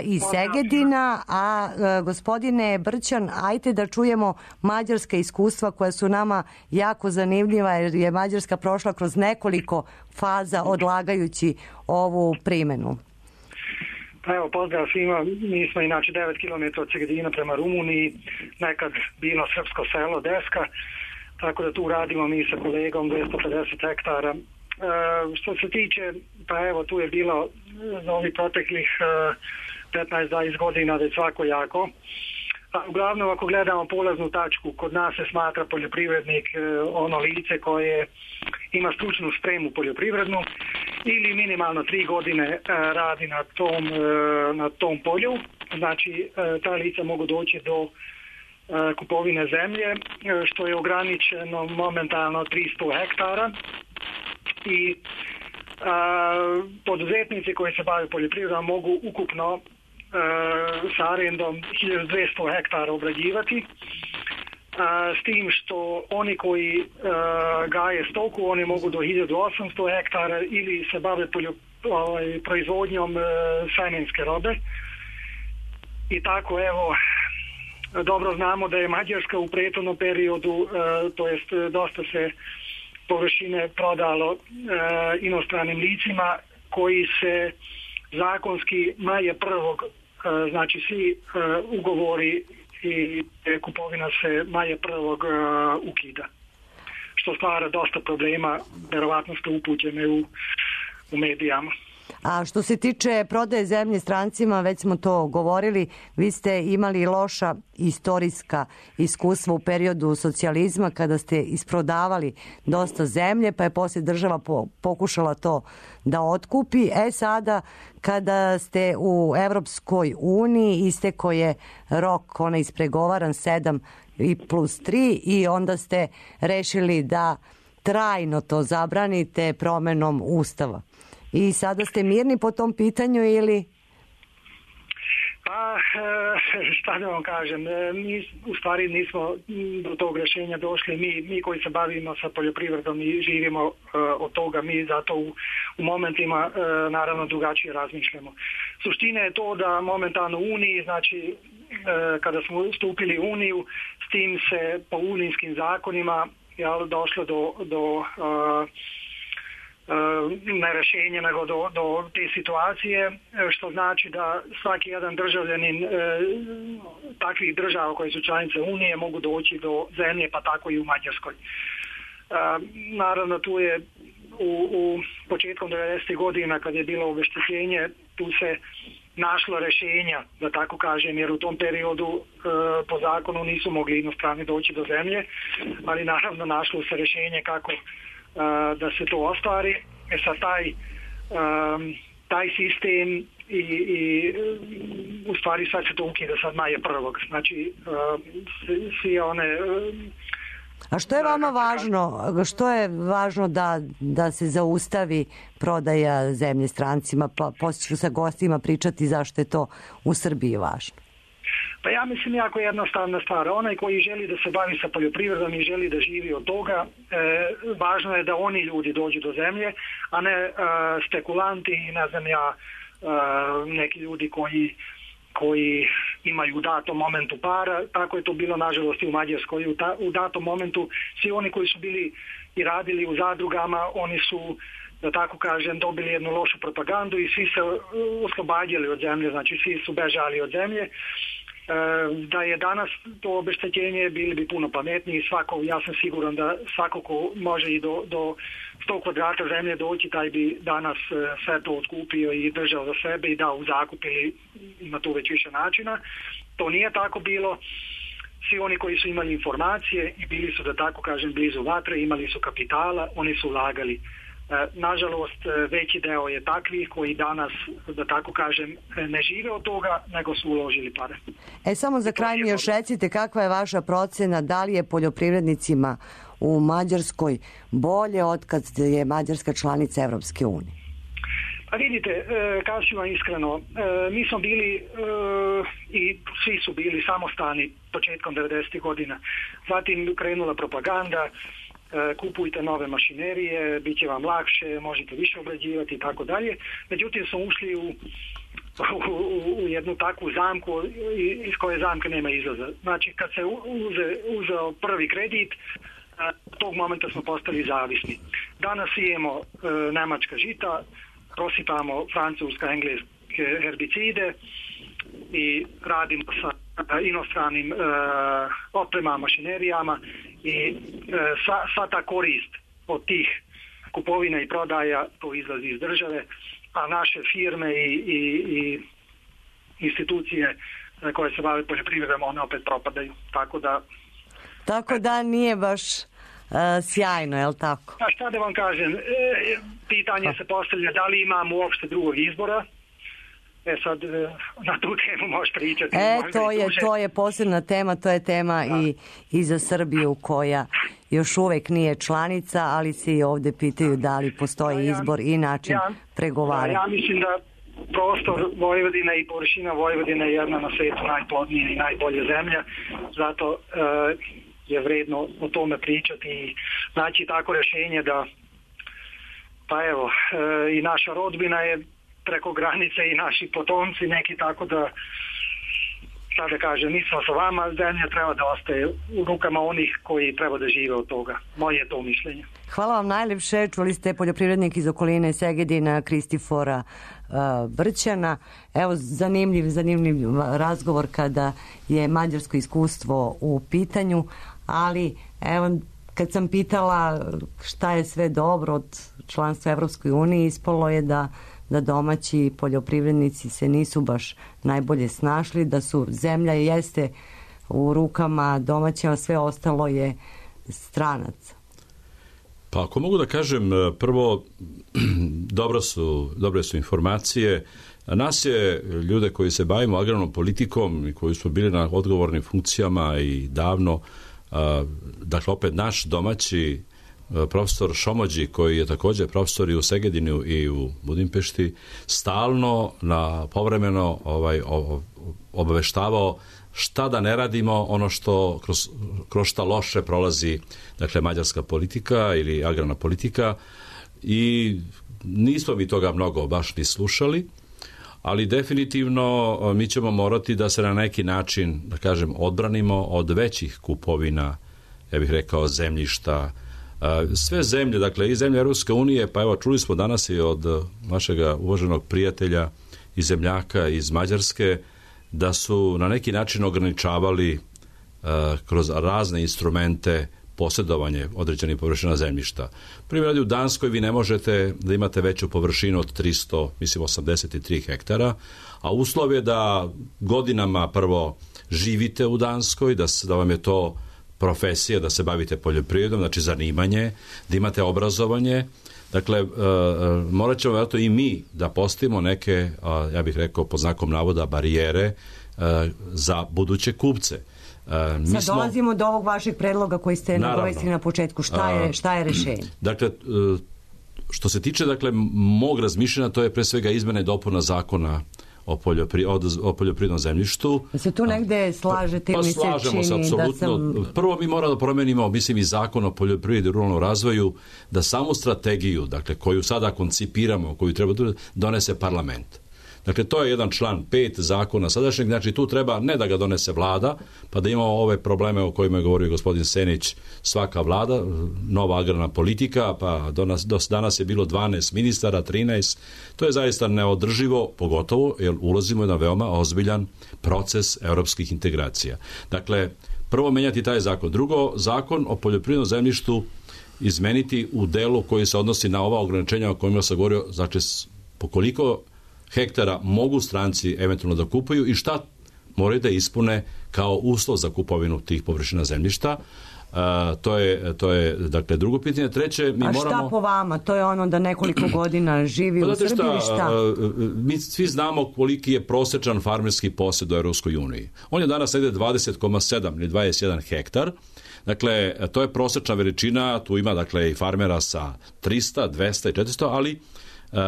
Iz Segedina, a gospodine Brćan, ajte da čujemo mađarska iskustva koja su nama jako zanimljiva, jer je Mađarska prošla kroz nekoliko faza odlagajući ovu primenu. Pa evo, pozdrav svima. Mi smo inače devet kilometara od Segedina prema Rumuniji, nekad bilo srpsko selo Deska, tako da tu radimo mi sa kolegom dvesta pedeset hektara. E, što se tiče, pa evo, tu je bilo za ovih proteklih petnaest do dvadeset godina već svako jako. A uglavnom, ako gledamo polaznu tačku, kod nas se smatra poljoprivrednik ono lice koje ima stručnu spremu poljoprivrednu ili minimalno tri godine radi na tom, na tom polju. Znači, ta lica mogu doći do kupovine zemlje, što je ograničeno momentalno tristo hektara. I a, poduzetnici koji se bave poljoprivredom mogu ukupno sa arendom hiljadu dvesta hektara obrađivati, a, s tim što oni koji a, gaje stoku, oni mogu do hiljadu osamsto hektara ili se bave poljo, ovaj, proizvodnjom a, semenske robe. I tako, evo, dobro znamo da je Mađarska u prethodnom periodu, a, to jest dosta se površine prodalo a, inostranim licima koji se zakonski maja prvog, znači svi ugovori i kupovina se maja prvog ukida, što stvara dosta problema, verovatno ste upućeni u, u medijama. A što se tiče prodaje zemlje strancima, već smo to govorili, vi ste imali loša istorijska iskustva u periodu socijalizma kada ste isprodavali dosta zemlje, pa je poslije država po, pokušala to da otkupi. E sada, kada ste u Evropskoj uniji, isteko je rok onaj ispregovaran sedam i plus tri i onda ste rešili da trajno to zabranite promenom Ustava. I sada ste mirni po tom pitanju ili? Pa, e, šta da vam kažem, mi u stvari nismo do tog rješenja došli, mi, mi koji se bavimo sa poljoprivredom i živimo uh, od toga, mi zato u, u momentima uh, naravno drugačije razmišljamo. Suština je to da momentalno u Uniji, znači uh, kada smo stupili u Uniju, s tim se po unijskim zakonima jel, došlo do, do uh, ne rješenje nego do, do te situacije, što znači da svaki jedan državljanin e, takvih država koje su članice Unije mogu doći do zemlje, pa tako i u Mađarskoj. E, naravno tu je u, u početkom devedesetih godina kad je bilo obeštećenje, tu se našlo rješenja, da tako kažem, jer u tom periodu e, po zakonu nisu mogli inostrani doći do zemlje, ali naravno našlo se rješenje kako da se to ostvari. E sad taj, um, taj sistem i, i u stvari sad se to ukida sad maja prvog. Znači um, svi one... Um, A što je vama važno? Što je važno da, da se zaustavi prodaja zemlje strancima? Pa poslije ću sa gostima pričati zašto je to u Srbiji važno. Pa ja mislim jako jednostavna stvar. Onaj koji želi da se bavi sa poljoprivredom i želi da živi od toga, e, važno je da oni ljudi dođu do zemlje, a ne e, spekulanti i ne znam ja, e, neki ljudi koji, koji imaju u datom momentu para. Tako je to bilo nažalost i u Mađarskoj. U, ta, u datom momentu svi oni koji su bili i radili u zadrugama, oni su, da tako kažem, dobili jednu lošu propagandu i svi se oslobađali od zemlje, znači svi su bežali od zemlje. Da je danas to obeštećenje, bili bi puno pametniji. Svako, ja sam siguran da svako ko može i do, do sto kvadrata zemlje doći, taj bi danas sve to otkupio i držao za sebe i dao u zakup ili ima tu već više načina. To nije tako bilo. Svi oni koji su imali informacije i bili su, da tako kažem, blizu vatre, imali su kapitala, oni su ulagali. Nažalost, veći deo je takvih koji danas, da tako kažem, ne žive od toga, nego su uložili pare. E, samo za kraj mi još recite, kakva je vaša procena, da li je poljoprivrednicima u Mađarskoj bolje od kad je Mađarska članica Evropske unije? Pa vidite, kažem vam iskreno, mi smo bili i svi su bili samostalni početkom devedesetih godina. Zatim krenula propaganda, kupujte nove mašinerije, bit će vam lakše, možete više obrađivati i tako dalje. Međutim, smo ušli u, u, u jednu takvu zamku iz koje zamke nema izlaza. Znači, kad se uze, uzeo prvi kredit, tog momenta smo postali zavisni. Danas imamo e, nemačka žita, prosipamo francuska, engleske herbicide i radimo sa inostranim e, opremama, mašinerijama i e, sva, sva ta korist od tih kupovina i prodaja to izlazi iz države, a naše firme i, i, i institucije koje se bave poljoprivredom, one opet propadaju. Tako da... Tako da nije baš uh, sjajno, je li tako? A šta da vam kažem, e, pitanje se postavlja da li imamo uopšte drugog izbora. E sad, na tu temu možeš pričati. E, to je, to je posebna tema, to je tema i, i za Srbiju koja još uvek nije članica, ali se i ovde pitaju da li postoji izbor i način ja, pregovaranja. Ja mislim da prostor Vojvodine i površina Vojvodine je jedna na svetu najplodnija i najbolja zemlja, zato e, je vredno o tome pričati i znači tako rješenje da pa evo, e, i naša rodbina je preko granice i naši potomci neki, tako da sad da kažem, nismo sa vama, zemlja treba da ostaje u rukama onih koji treba da žive od toga. Moje je to mišljenje. Hvala vam najlepše, čuli ste poljoprivrednik iz okoline Segedina, Kristifora uh, Brćana. Evo, zanimljiv, zanimljiv razgovor kada je mađarsko iskustvo u pitanju, ali evo, kad sam pitala šta je sve dobro od članstva Evropskoj uniji, ispalo je da da domaći poljoprivrednici se nisu baš najbolje snašli, da su zemlja jeste u rukama domaćima, sve ostalo je stranac. Pa ako mogu da kažem, prvo, dobro su, dobre su informacije. Nas je, ljude koji se bavimo agrarnom politikom i koji smo bili na odgovornim funkcijama i davno, dakle opet naš domaći profesor Šomođi, koji je također profesor i u Segedinu i u Budimpešti, stalno na povremeno ovaj, o, obaveštavao šta da ne radimo, ono što kroz, kroz šta loše prolazi, dakle, mađarska politika ili agrarna politika, i nismo mi toga mnogo baš ni slušali, ali definitivno mi ćemo morati da se na neki način, da kažem, odbranimo od većih kupovina, ja bih rekao, zemljišta. Sve zemlje, dakle, i zemlje Europske unije, pa evo, čuli smo danas i od našeg uvaženog prijatelja i zemljaka iz Mađarske, da su na neki način ograničavali uh, kroz razne instrumente posjedovanje određenih površina zemljišta. Primjer radi, u Danskoj vi ne možete da imate veću površinu od tristo, mislim, osamdeset tri hektara, a uslov je da godinama prvo živite u Danskoj, da, da vam je to profesija, da se bavite poljoprivredom, znači zanimanje, da imate obrazovanje. Dakle, uh, morat ćemo vjerojatno i mi da postavimo neke, uh, ja bih rekao pod znakom navoda, barijere uh, za buduće kupce. Uh, mi Sad smo, dolazimo do ovog vašeg predloga koji ste nagovestili na početku. Šta je, šta je rešenje? Dakle, uh, što se tiče, dakle, mog razmišljanja, to je pre svega izmena i dopuna zakona o, poljopri, o, o poljoprivrednom zemljištu. Da se tu negde slažete, pa, mi se slažemo se, apsolutno. Da sam... Prvo mi moramo da promenimo, mislim, i zakon o poljoprivredi i ruralnom razvoju, da samu strategiju, dakle, koju sada koncipiramo, koju treba da donese parlament. Dakle, to je jedan član pet zakona sadašnjeg, znači tu treba ne da ga donese vlada, pa da imamo ove probleme o kojima je govorio gospodin Senić, svaka vlada, nova agrarna politika, pa do, nas, do danas je bilo dvanaest ministara, trinaest, to je zaista neodrživo, pogotovo jer ulazimo u jedan veoma ozbiljan proces evropskih integracija. Dakle, prvo menjati taj zakon. Drugo, zakon o poljoprivrednom zemljištu izmeniti u delu koji se odnosi na ova ograničenja o kojima sam govorio, znači po koliko hektara mogu stranci eventualno da kupuju i šta moraju da ispune kao uslov za kupovinu tih površina zemljišta. Uh, to je, to je, dakle, drugo pitanje. Treće, mi A šta moramo... po vama? To je ono da nekoliko godina živi pa u Srbiji šta, ili šta? Uh, mi svi znamo koliki je prosečan farmerski posjed u Europskoj uniji. On je danas negde dvadeset zarez sedam ili dvadeset jedan hektar. Dakle, to je prosečna veličina, tu ima, dakle, i farmera sa trista, dvesta i četiristo, ali Uh,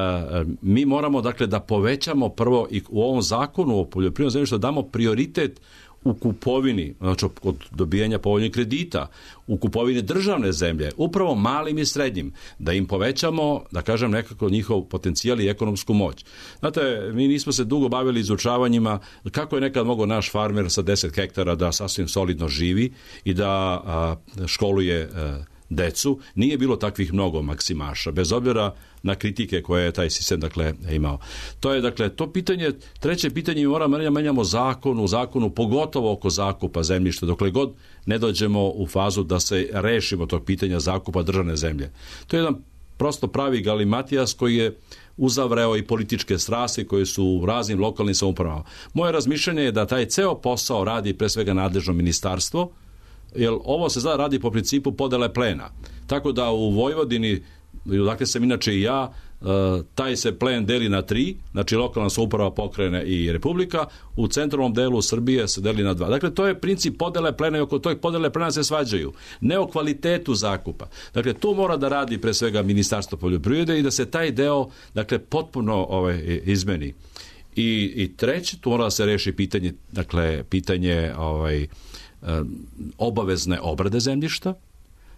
mi moramo, dakle, da povećamo prvo i u ovom zakonu o poljoprivrednom zemljištu da damo prioritet u kupovini, znači od dobijanja povoljnih kredita, u kupovini državne zemlje, upravo malim i srednjim, da im povećamo, da kažem, nekako njihov potencijal i ekonomsku moć. Znate, mi nismo se dugo bavili izučavanjima kako je nekad mogao naš farmer sa deset hektara da sasvim solidno živi i da a, školuje a, decu. Nije bilo takvih mnogo maksimaša, bez obzira na kritike koje je taj sistem, dakle, imao. To je, dakle, to pitanje. Treće pitanje, mi moramo da menjamo zakon u zakonu, pogotovo oko zakupa zemljišta, dokle god ne dođemo u fazu da se rešimo tog pitanja zakupa državne zemlje. To je jedan prosto pravi galimatijas koji je uzavreo i političke strasti koje su u raznim lokalnim samoupravama. Moje razmišljanje je da taj ceo posao radi pre svega nadležno ministarstvo, jer ovo se zada radi po principu podele plena. Tako da u Vojvodini, dakle sam inače i ja, taj se plen deli na tri, znači lokalna samouprava, pokrajine i republika, u centralnom delu Srbije se deli na dva. Dakle, to je princip podele plena i oko tog podele plena se svađaju. Ne o kvalitetu zakupa. Dakle, tu mora da radi pre svega Ministarstvo poljoprivrede i da se taj deo, dakle, potpuno ovaj, izmeni. I, i treće, tu mora da se reši pitanje, dakle, pitanje ovaj, obavezne obrade zemljišta.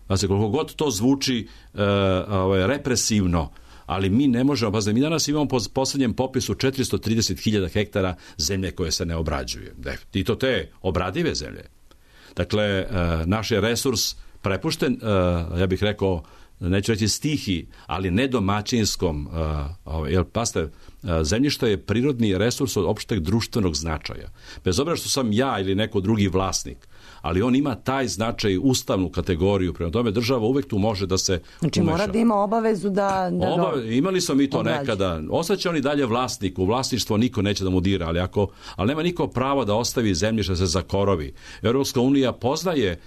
Znači, koliko god to zvuči uh, ovaj, represivno, ali mi ne možemo, pa mi danas imamo po poslednjem popisu četiristo trideset hiljada hektara zemlje koje se ne obrađuje. I to te obradive zemlje. Dakle, uh, naš je resurs prepušten, uh, ja bih rekao, neću reći stihi, ali ne domaćinskom, uh, jer paste, uh, zemljište je prirodni resurs od opšteg društvenog značaja. Bez obzira što sam ja ili neko drugi vlasnik, ali on ima taj značaj, ustavnu kategoriju, prema tome država uvek tu može da se znači, umeša. Mora da ima obavezu da... da Obave, imali smo mi to obrađu. Nekada. Ostaće on i dalje vlasnik, u vlasništvo niko neće da mu dira, ali, ako, ali nema niko prava da ostavi zemljište da se zakorovi. Europska unija poznaje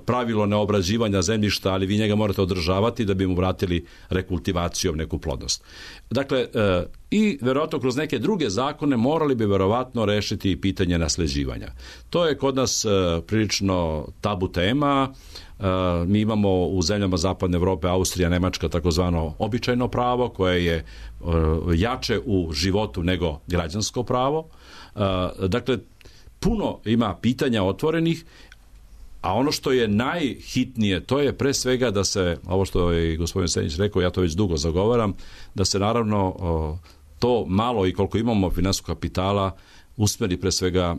pravilo neobrađivanja zemljišta, ali vi njega morate održavati da bi mu vratili rekultivacijom neku plodnost. Dakle, i verovatno kroz neke druge zakone morali bi verovatno rešiti pitanje nasleđivanja. To je kod nas prilično tabu tema. Mi imamo u zemljama Zapadne Evrope, Austrija, Nemačka, takozvano običajno pravo, koje je jače u životu nego građansko pravo. Dakle, puno ima pitanja otvorenih, a ono što je najhitnije, to je pre svega da se, ovo što je gospodin Senić rekao, ja to već dugo zagovaram, da se naravno to malo i koliko imamo finansijskog kapitala usmeri pre svega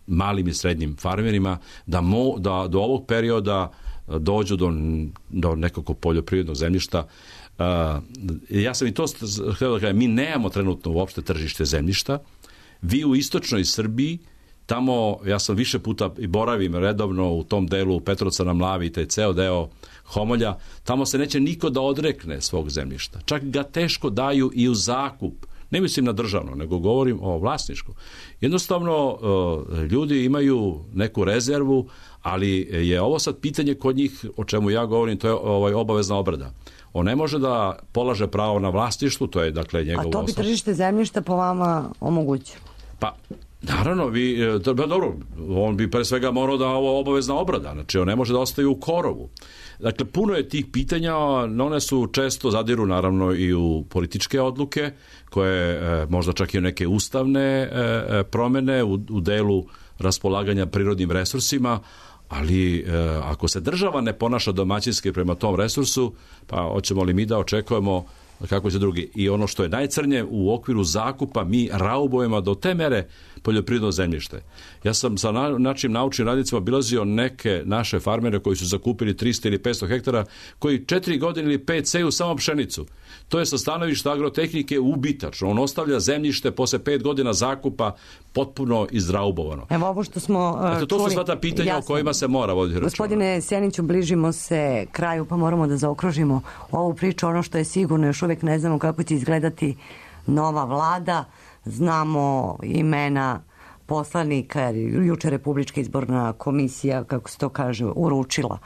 malim i srednjim farmerima, da, mo, da do ovog perioda dođu do, do nekog poljoprivrednog zemljišta. Ja sam i to htio da kažem, mi nemamo trenutno uopšte tržište zemljišta. Vi u istočnoj Srbiji, tamo, ja sam više puta i boravim redovno u tom delu Petrovca na Mlavi i taj ceo deo Homolja, tamo se neće niko da odrekne svog zemljišta. Čak ga teško daju i u zakup. Ne mislim na državno, nego govorim o vlasničku. Jednostavno, ljudi imaju neku rezervu, ali je ovo sad pitanje kod njih, o čemu ja govorim, to je ovaj obavezna obrada. On ne može da polaže pravo na vlasništvu, to je dakle njegovo osnov. A to bi tržište zemljišta po vama omogućilo? Pa, naravno, vi, dobro, on bi pre svega morao da ovo obavezna obrada, znači on ne može da ostaje u korovu. Dakle, puno je tih pitanja, one su često zadiru naravno i u političke odluke, koje možda čak i u neke ustavne promene u, u delu raspolaganja prirodnim resursima, ali ako se država ne ponaša domaćinski prema tom resursu, pa hoćemo li mi da očekujemo kako će drugi. I ono što je najcrnje, u okviru zakupa mi raubujemo do te mere poljoprivredno zemljište. Ja sam sa na, našim naučnim radnicima obilazio neke naše farmere koji su zakupili tristo ili petsto hektara, koji četiri godine ili pet seju samo pšenicu. To je sa stanovišta agrotehnike ubitačno. On ostavlja zemljište posle pet godina zakupa potpuno izraubovano. Evo ovo što smo uh, Eto, to čuli, su sva ta pitanja jasno, o kojima se mora voditi računa. Gospodine Sjeniću, bližimo se kraju, pa moramo da zaokružimo ovu priču. Ono što je sigurno, još uvek ne znamo kako će izgledati nova vlada. Znamo imena poslanika, juče Republička izborna komisija, kako se to kaže, uručila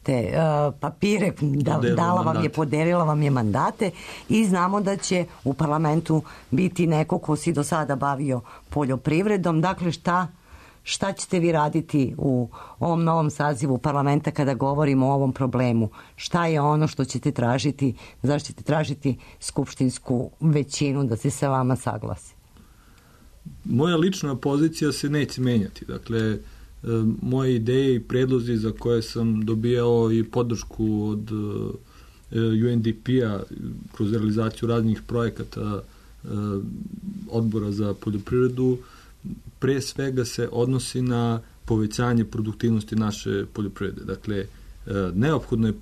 te uh, papire, da, dala vam je, podelila vam je mandate i znamo da će u parlamentu biti neko ko si do sada bavio poljoprivredom. Dakle, šta, šta ćete vi raditi u ovom novom sazivu parlamenta kada govorimo o ovom problemu? Šta je ono što ćete tražiti, zašto ćete tražiti skupštinsku većinu da se sa vama saglasi? Moja lična pozicija se neće menjati. Dakle, moje ideje i predlozi za koje sam dobijao i podršku od U N D P-a kroz realizaciju raznih projekata odbora za poljoprivredu, pre svega se odnosi na povećanje produktivnosti naše poljoprivrede. Dakle, neophodno je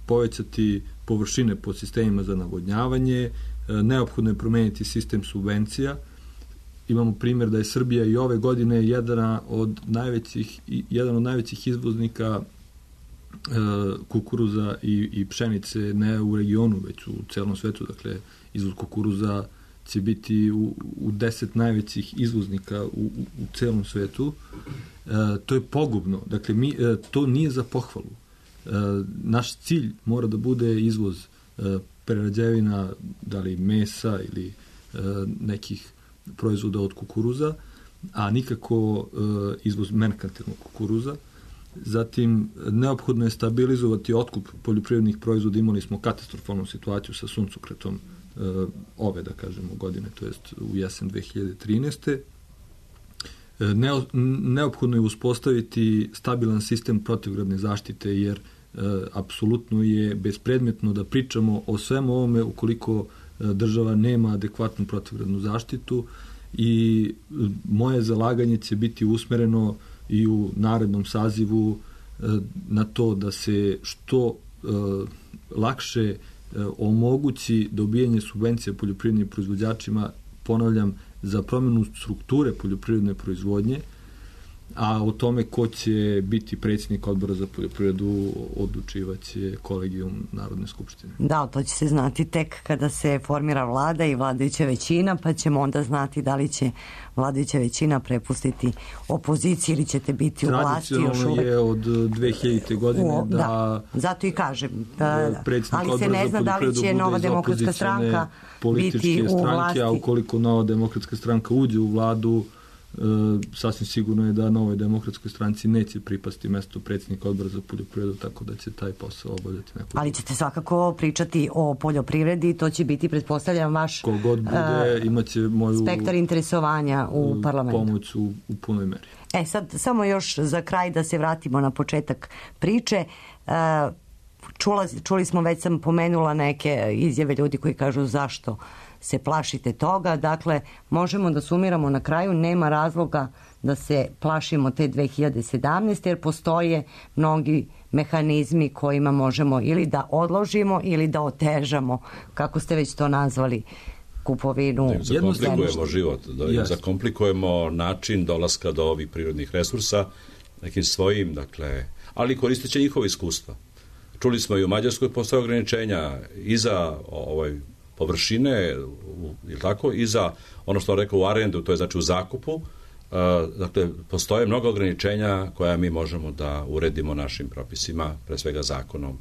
povećati površine po sistemima za navodnjavanje, neophodno je promeniti sistem subvencija. Imamo primjer da je Srbija i ove godine jedan od najvećih, jedan od najvećih izvoznika e, kukuruza i, i pšenice ne u regionu, već u celom svetu. Dakle, izvoz kukuruza će biti u, u deset najvećih izvoznika u, u, u celom svetu. E, to je pogubno. Dakle, mi, e, to nije za pohvalu. E, naš cilj mora da bude izvoz e, prerađevina, da li mesa ili e, nekih proizvoda od kukuruza, a nikako e, izvoz merkantilnog kukuruza. Zatim, neophodno je stabilizovati otkup poljoprivrednih proizvoda. Imali smo katastrofalnu situaciju sa suncokretom e, ove, da kažemo, godine, to jest u jesen dve hiljade trinaeste. E, ne, neophodno je uspostaviti stabilan sistem protivgradne zaštite, jer e, apsolutno je bespredmetno da pričamo o svemu ovome ukoliko država nema adekvatnu protivgradnu zaštitu, i moje zalaganje će biti usmereno i u narednom sazivu na to da se što lakše omogući dobijanje subvencija poljoprivrednim proizvođačima, ponavljam, za promjenu strukture poljoprivredne proizvodnje, a o tome ko će biti predsjednik odbora za poljoprivredu odlučivaće kolegijum Narodne skupštine. Da, to će se znati tek kada se formira vlada i vladajuća većina, pa ćemo onda znati da li će vladajuća većina prepustiti opoziciji ili ćete biti u vlasti još uvek. Tradicionalno je od dve hiljadite godine o, da, da... Zato i kažem. Da, ali se ne zna da li će Nova demokratska stranka biti u vlasti. A ukoliko Nova demokratska stranka uđe u vladu, sasvim sigurno je da Novoj demokratskoj stranci neće pripasti mesto predsjednika odbora za poljoprivredu, tako da će taj posao obavljati neko. Ali ćete svakako pričati o poljoprivredi, to će biti, pretpostavljam, vaš kogod bude, imaće moju spektar interesovanja u parlamentu. Pomoć u, u punoj meri. E sad, samo još za kraj da se vratimo na početak priče. Čula, čuli smo, već sam pomenula neke izjave ljudi koji kažu zašto se plašite toga. Dakle, možemo da sumiramo na kraju, nema razloga da se plašimo te dve hiljade sedamnaeste. jer postoje mnogi mehanizmi kojima možemo ili da odložimo ili da otežamo, kako ste već to nazvali, kupovinu. Da zakomplikujemo život, da im zakomplikujemo način dolaska do ovih prirodnih resursa nekim svojim, dakle, ali koristeći njihove iskustva. Čuli smo i u Mađarskoj postoje ograničenja i za ovaj površine, je tako, i za ono što on rekao u arendu, to je znači u zakupu. Uh, dakle, postoje mnogo ograničenja koja mi možemo da uredimo našim propisima, pre svega zakonom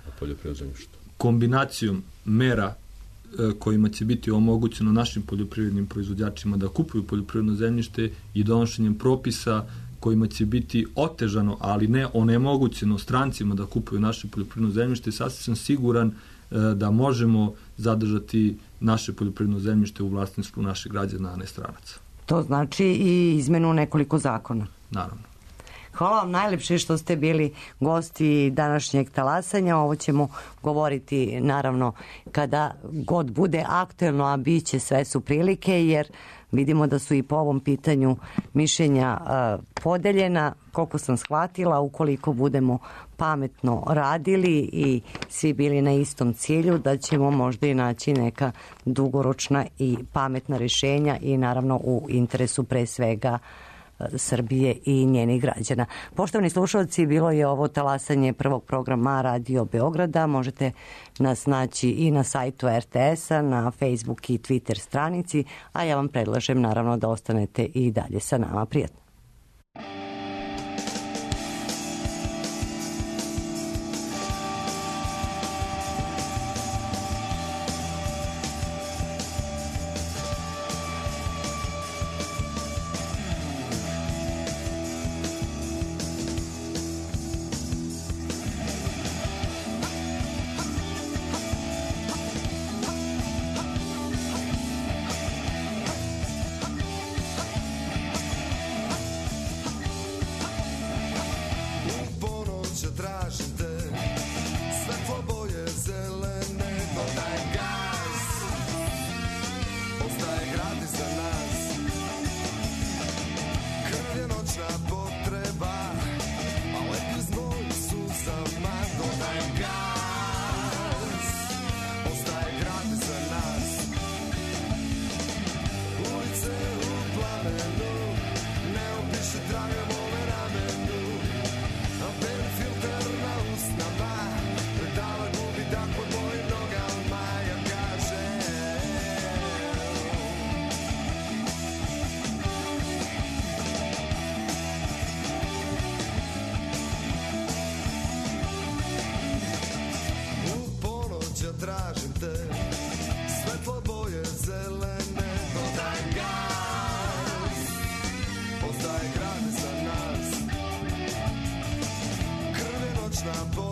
o poljoprivrednom zemljištu. Kombinacijom mera kojima će biti omogućeno našim poljoprivrednim proizvođačima da kupuju poljoprivredno zemljište i donošenjem propisa kojima će biti otežano, ali ne onemogućeno strancima da kupuju naše poljoprivredno zemljište, sasvim sam siguran da možemo zadržati naše poljoprivredno zemljište u vlasništvu naših građana, a ne stranaca. To znači i izmenu nekoliko zakona. Naravno. Hvala vam najlepše što ste bili gosti današnjeg talasanja. Ovo ćemo govoriti naravno kada god bude aktuelno, a bit će, sve su prilike, jer vidimo da su i po ovom pitanju mišljenja uh, podeljena. Koliko sam shvatila, ukoliko budemo pametno radili i svi bili na istom cilju, da ćemo možda i naći neka dugoročna i pametna rješenja i naravno u interesu pre svega Srbije i njenih građana. Poštovani slušalci, bilo je ovo talasanje prvog programa Radio Beograda. Možete nas naći i na sajtu er te es-a, na Facebook i Twitter stranici, a ja vam predlažem naravno da ostanete i dalje sa nama. Prijatno. Tražim te, svetlo boje zelene, dodaj gas, postaje grad za nas, krv je noćna boja.